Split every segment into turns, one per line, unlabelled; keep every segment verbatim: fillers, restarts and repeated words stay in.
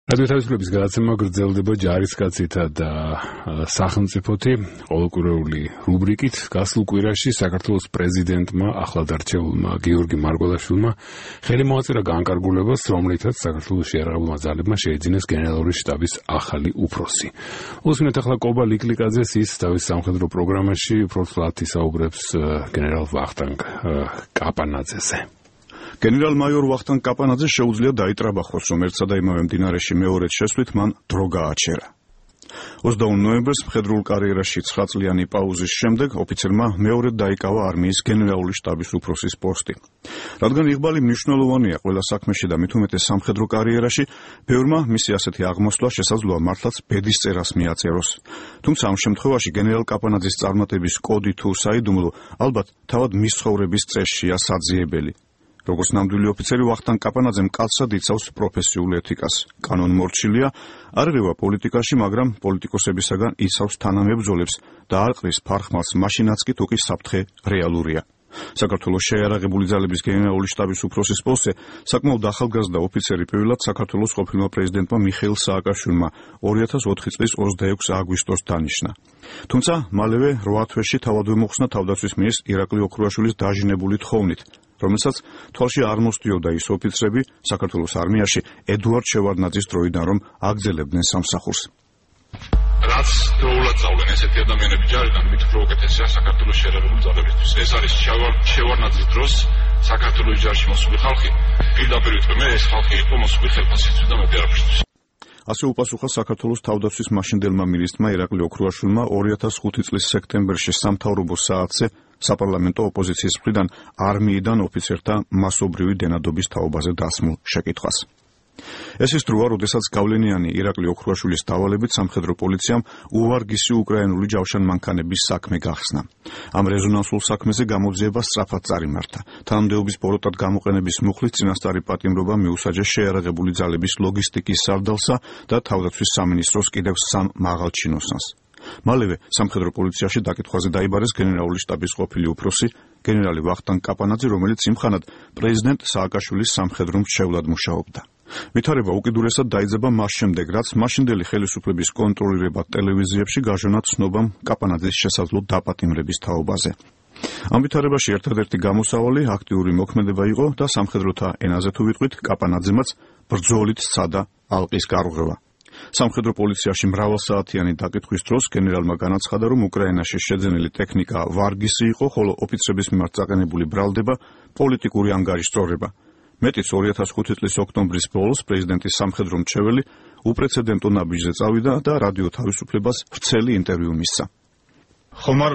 რადიო თავისუფლების გადაცემა გრძელდება ჯარისკაცითა და სახელმწიფოთი ყოველკვირეული რუბრიკით. გასულ კვირაში საქართველოს პრეზიდენტმა ახლად არჩეულმა გიორგი მარგველაშვილმა ხელი მოაწერა განკარგულებას, რომლითაც საქართველოს შეიარაღებულმა ძალებმა შეიძინეს გენერალური შტაბის ახალი უფროსი. უსმინეთ ახლა კობა ლიკლიკაძეს, ის თავის სამხედრო პროგრამაში უფრო ცვლად ისაუბრებს გენერალ ვახტანგ კაპანაძეზე.
გენერალ-მაიორ ვახტანგ კაპანაძე შეუძლია დაიტრაბახოს, რომ ერთსა და იმავე მდინარეში მეორედ შესვლით მან დრო გააჩერა. ოცდაოთხ ნოემბერს მხედრულ კარიერაში ცხრა წლიანი პაუზის შემდეგ ოფიცერმა მეორედ დაიკავა არმიის გენერალური შტაბის უფროსის პოსტი. რადგან იღბალი მნიშვნელოვანია ყველა საქმეში და მით უმეტეს სამხედრო კარიერაში, ბევრმა მისი ასეთი აღმოსვლა შესაძლოა მართლაც ბედის წერას მიაწეროს. თუმცა ამ შემთხვევაში გენერალ კაპანაძის წარმატების კოდი თუ საიდუმლო ალბათ თავად მის ცხოვრების წესშია საძიებელი. როგორც ნამდვილი ოფიცერი, ვახტანგ კაპანაძემ კაცად იცავს პროფესიულ ეთიკას. კანონმორჩილია, არ ღირვა პოლიტიკაში, მაგრამ პოლიტიკოსებისაგან იცავს თანამებრძოლებს და არ ყრის ფარხმალს მაშინაც კი თუ კი საფრთხე რეალურია. საქართველოს შეიარაღებული ძალების გენერალური შტაბის უფროსის პოსტზე საკმაოდ ახალგაზრდა ოფიცერი პირველად საქართველოს ყოფილმა პრეზიდენტმა მიხეილ სააკაშვილმა ორი ათას ოთხი წლის ოცდაექვსი აგვისტოს დანიშნა. თუმცა მალევე რვა თვეში თავადვე მოხსნა თავდაცვის მინისტრ ირაკლი ოქრუაშვილის დაჟინებული თხოვნით, რომელსაც თვალში არ მოსდიოდა ის ოფიცრები საქართველოს არმიაში ედუარდ შევარდნაძის დროიდან, რომ აგზელებდნენ სამსახურს.
რაც დროულად წავლენ ესეთი ადამიანები ჯარიდან, მით უფრო უკეთესია საქართველოს შეიარაღებული ძალებისთვის. ეს არის შევარდნაძის დროს საქართველოს ჯარში მოსული ხალხი, პირდაპირ ვიტყვი, მე ეს ხალხი იყო მოსული ხელფასისთვის და მეტი არაფრისთვის.
ასე უპასუხა საქართველოს თავდაცვის მაშინდელმა მინისტრმა ირაკლი ოქრუაშვილმა ორი ათას ხუთი წლის სექტემბერში სამთავრობო საათზე საპარლამენტო ოპოზიციის მხრიდან არმიიდან ოფიცერთა მასობრივი დენადობის თაობაზე დასმულ შეკითხვას. ეს ის დროა, როდესაც გავლენიანი ირაკლი ოქრუაშვილის დავალებით სამხედრო პოლიციამ უვარგისი უკრაინული ჯავშანმანქანების საქმე გახსნა. ამ რეზონანსულ საქმეზე გამოძიება სწრაფად წარიმართა. თანამდებობის ბოროტად გამოყენების მუხლით წინასწარი პატიმრობა მიუსაჯეს შეიარაღებული ძალების ლოგისტიკის სარდალსა და თავდაცვის სამინისტროს კიდევ სამ მაღალ ჩინოსანს. მალევე სამხედრო პოლიციაში დაკითხვაზე დაიბარეს გენერალური შტაბის ყოფილი უფროსი გენერალი ვახტანგ კაპანაძე, რომელიც იმხანად პრეზიდენტ სააკაშვილის სამხედრო მრჩევლად მუშაობდა. ვითარება უკიდურესად დაიძაბა მას შემდეგ, რაც მაშინდელი ხელისუფლების კონტროლირება ტელევიზიებში გაჟონა ცნობამ კაპანაძის შესაძლო დაპატიმრების თაობაზე. ამ ვითარებაში ერთადერთი გამოსავალი აქტიური მოქმედება იყო და სამხედროთა ენაზე თუ ვიტყვით, კაპანაძემაც ბრძოლით სცადა ალყის გარღვევა. სამხედრო პოლიციაში მრავალსაათიანი დაკითხვის დროს გენერალმა განაცხადა, რომ უკრაინაში შეძენილი ტექნიკა ვარგისი იყო, ხოლო ოფიცრების მიმართ წაყენებული ბრალდება პოლიტიკური ანგარიშწორება. მეტიც ორი ათას ხუთი წლის ოქტომბრის ბოლოს პრეზიდენტის სამხედრო მრჩეველი უპრეცედენტო ნაბიჯზე წავიდა და რადიო თავისუფლებას ვრცელი ინტერვიუ მისცა.
ხომ არ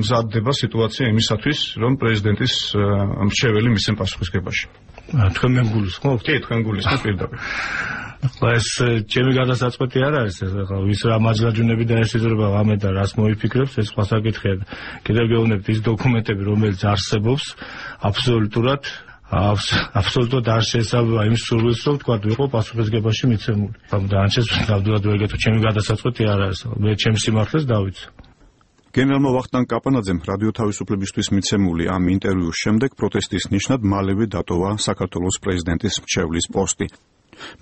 მზადდება სიტუაცია იმისათვის, რომ პრეზიდენტის მრჩეველი მისცემ პასუხისგებაში?
თქვენ მე გულისხმობთ?
კი, თქვენ გულისხმობთ პირდაპირ.
ახლა ეს ჩემი გადასაწყვეტი არ არის, ახლა ვის რა მაჯრაჯუნები და ეს იზრება ღამე და რას მოიფიქრებს, ეს სხვა საკითხია. კიდევ გეუბნებთ, ის დოკუმენტები, რომელიც არსებობს, აბსოლუტურად აბსოლუტურად არ შეესაბამება იმ სურვილს, რომ თქვა ვიყო პასუხისგებაში მიცემული. დანარჩენს ნამდვილად ვერ გეტყვი, ჩემი გადასაწყვეტი არ არის. მე ჩემს სიმართლეს დავიცვა.
გენერალმა ვახტანგ კაპანაძემ რადიო თავისუფლებისთვის მიცემული ამ ინტერვიუს შემდეგ პროტესტის ნიშნად მალევე დატოვა საქართველოს პრეზიდენტის მრჩევლის პოსტი.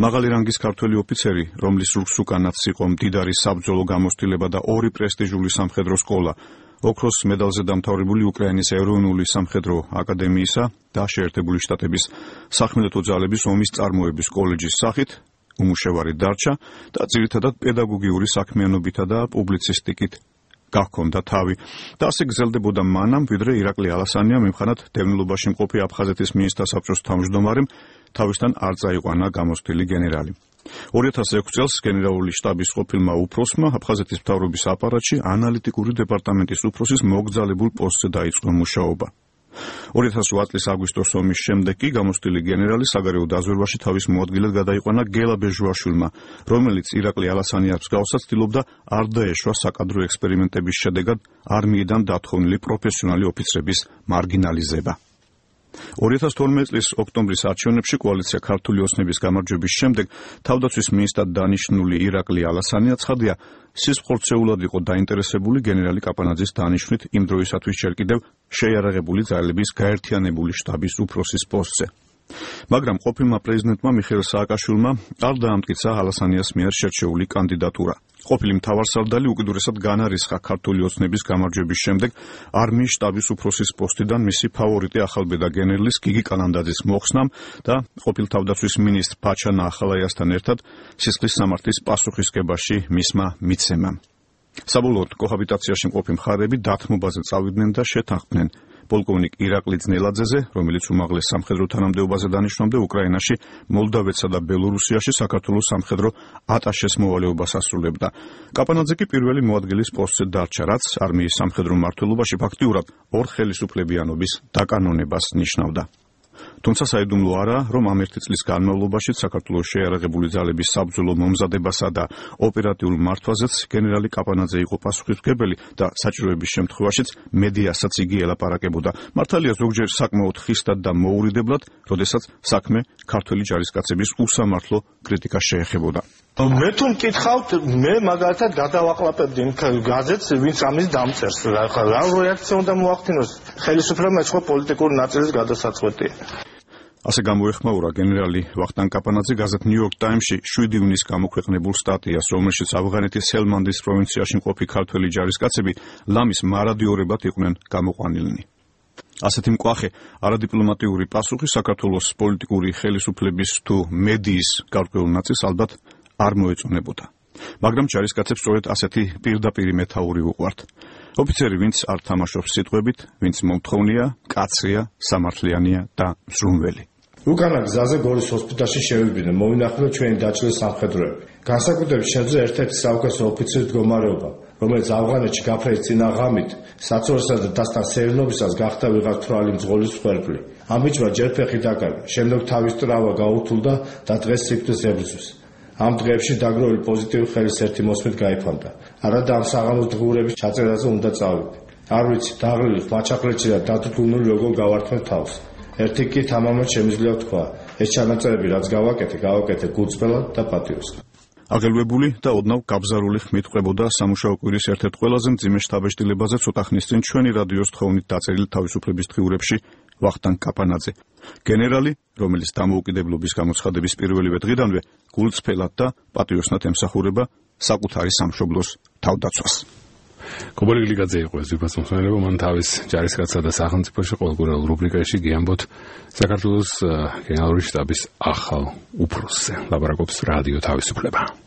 მაღალი რანგის ქართველი ოფიცერი, რომლის რუქს უკანაც იყო მდიდარი საბრძოლო გამოცდილება და ორი პრესტიჟული სამხედრო სკოლა, ოქროს მედალზე დამთავრებული უკრაინის ეროვნული სამხედრო აკადემიისა და შეერთებული შტატების სახმელეთო ძალების ომის წარმოების კოლეჯის სახით უმუშევარი დარჩა და ძირითადად პედაგოგიური საქმიანობითა და პუბლიცისტიკით გახონდა თავი და ასე გრძელდებოდა მანამ, ვიდრე ირაკლი ალასანიამ იმხანად დევნილობაში მყოფი აფხაზეთის მინისტრთა საბჭოს თავმჯდომარემ თავისთან არ წაიყვანა გამოცდილი გენერალი. ორი ათას ექვსი წელს გენერალური შტაბის ყოფილმა უფროსმა აფხაზეთის მთავრობის აპარატში ანალიტიკური დეპარტამენტის უფროსის მოგზალებულ პოსტზე დაიწყო მუშაობა. ორი ათას ოთხ წლის აგვისტოს ომის შემდეგ კი გამოცდილი გენერალი საგარეო დაზვერვაში თავის მოადგილედ გადაიყვანა გელა ბეჟვაშვილმა, რომელიც ირაკლი ალასანიას მსგავსად ცდილობდა არ დაეშვა საკადრო ექსპერიმენტების შედეგად არმიიდან დათხოვნილი პროფესიონალი ოფიცრების მარგინალიზება. ორი ათას თორმეტი წლის ოქტომბრის არჩევნებში კოალიცია ქართული ოცნების გამარჯვების შემდეგ თავდაცვის მინისტრად დანიშნული ირაკლი ალასანია ცხადია, სისხლხორცეულად იყო დაინტერესებული გენერალი კაპანაძის დანიშვნით იმ დროისათვის ჯერ კიდევ შეიარაღებული ძალების გაერთიანებული შტაბის უფროსის პოსტზე. მაგრამ ყოფილმა პრეზიდენტმა მიხეილ სააკაშვილმა არ დაამტკიცა ალასანიას მიერ შერჩეული კანდიდატურა. ყოფილი მთავარსარდალი უკიდურესად განარისხა ქართული ოცნების გამარჯვების შემდეგ არმიის შტაბის უფროსის პოსტიდან მისი ფავორიტი ახალბედა გენერლის გიგი კალანდაძის მოხსნამ და ყოფილ თავდაცვის მინისტრ ბაჩანა ახალაიასთან ერთად სისხლის სამართლის პასუხისგებაში მისმა მიცემამ. საბოლოოდ კოჰაბიტაციაში მყოფი მხარეები დათმობაზე წავიდნენ და შეთანხმდნენ პოლკოვნიკ ირაკლი ძნელაძეზე, რომელიც უმაღლეს სამხედრო თანამდებობაზე დანიშნავდა უკრაინაში, მოლდავეთსა და ბელორუსიაში საქართველოს სამხედრო ატაშეს მოვალეობას ასრულებდა. კაპანაძე კი პირველი მოადგილის პოსტზე დარჩა, რაც არმიის სამხედრო მმართველობაში ფაქტიურად ორ ხელისუფლებიანობის დაკანონებას ნიშნავდა. თუმცა საიდუმლო არაა, რომ ამ ერთი წლის განმავლობაში საქართველოს შეიარაღებული ძალების საბრძოლო მომზადებასა და ოპერატიულ მართვაზეც გენერალი კაპანაძე იყო პასუხისმგებელი და საჭიროების შემთხვევაშიც მედიასაც იგი ელაპარაკებოდა. მართალია ზოგჯერ საკმაოდ ხისტად და მოურიდებლად, როდესაც საქმე ქართველი ჯარისკაცების უსამართლო კრიტიკას შეეხებოდა.
მე თუ მკითხავთ, მე მაგალითად გადავაყლაპებდი გაზეთს, ვინც ამის დამწერს. რა რეაქცია უნდა მოახდინოს? ხელისუფლებამ ეწყო პოლიტიკური ნაწილის გადასაწყვეტია. ასე გამოეხმაურა გენერალი ვახტანგ კაპანაძე გაზეთ ნიუ-იორკ ტაიმსში შვიდი ივნის გამოქვეყნებულ სტატიას, რომელშიც ავღანეთის ჰელმანდის პროვინციაში მყოფი ქართველი ჯარისკაცები ლამის მარადიორებად იყვნენ გამოყვანილნი. ასეთი მკვახე არადიპლომატიური პასუხი საქართველოს პოლიტიკური ხელისუფლების თუ მედიის გარკვეულ ნაწილს ალბათ არ მოეწონებოდა. მაგრამ ჯარისკაცებს სწორედ ასეთი პირდაპირი მეთაური უყვართ. ოფიცერი, ვინც არ თამაშობს სიტყვებით, ვინც მომთხოვნია, კაცია, სამართლიანია და მზრუნველი.
უკანა გზაზე გორის ჰოსპიტალში შევიბინე, მოვინახულე ჩვენი დაჭრილი სამხედროები. განსაკუთრებით შეძლო ერთ-ერთი საუკეთესო ოფიცრის მდგომარეობა, რომელიც ავღანეთში გაფრენის წინა ღამით საცურსა და დასთან სეირნობისას გახდა ვიღაც თვრალი მძღოლის მსხვერპლი. ამ ბიჭმა ჯერ ფეხი დაკარგა, შემდეგ თავის ტრავმა გაუთულდა და დღეს სიკვდილს ებრძვის. ამ დღეებში დაგროვილი პოზიტიური ხელის ერთი მოსმით გაიფანტა. არადა ამ საღამოს დღიურების ჩაწერაზე უნდა წავიდე. არ ვიცი, დაღლილი, მაჩახლეთში და დათრგუნული როგორ გავართმევ თავს. ერთი კი თამამად შემიძლია თქვა, ეს ჩანაწერები რაც გავაკეთე, გავაკეთე გულწრფელად და პატიოსად.
აგელვებული და ოდნავ გაბზარული ხმით ყვებოდა სამუშაო კვირის ერთ-ერთ ყველაზე მძიმე შთაბეჭდილებაზე ცოტა ხნის წინ ჩვენი რადიოს თხოვნით დაწერილი თავისუფლების დღიურებში ვახტანგ კაპანაძე. გენერალი, რომელიც დამოუკიდებლობის გამოცხადების პირველივე დღიდანვე გულწრფელად და პატიოსნად ემსახურება საკუთარი სამშობლოს თავდაცვას.
კობორი გლიკაძე იყო ეს ვიფასმოსმენელება, მან თავის ჯარისკაცსა და სახელმწიფოში ყოველკვირეულ რუბრიკაში გიამბოთ საქართველოს გენერალური შტაბის ახალ უფროსზე. ლაპარაკობს რადიო თავისუფლება.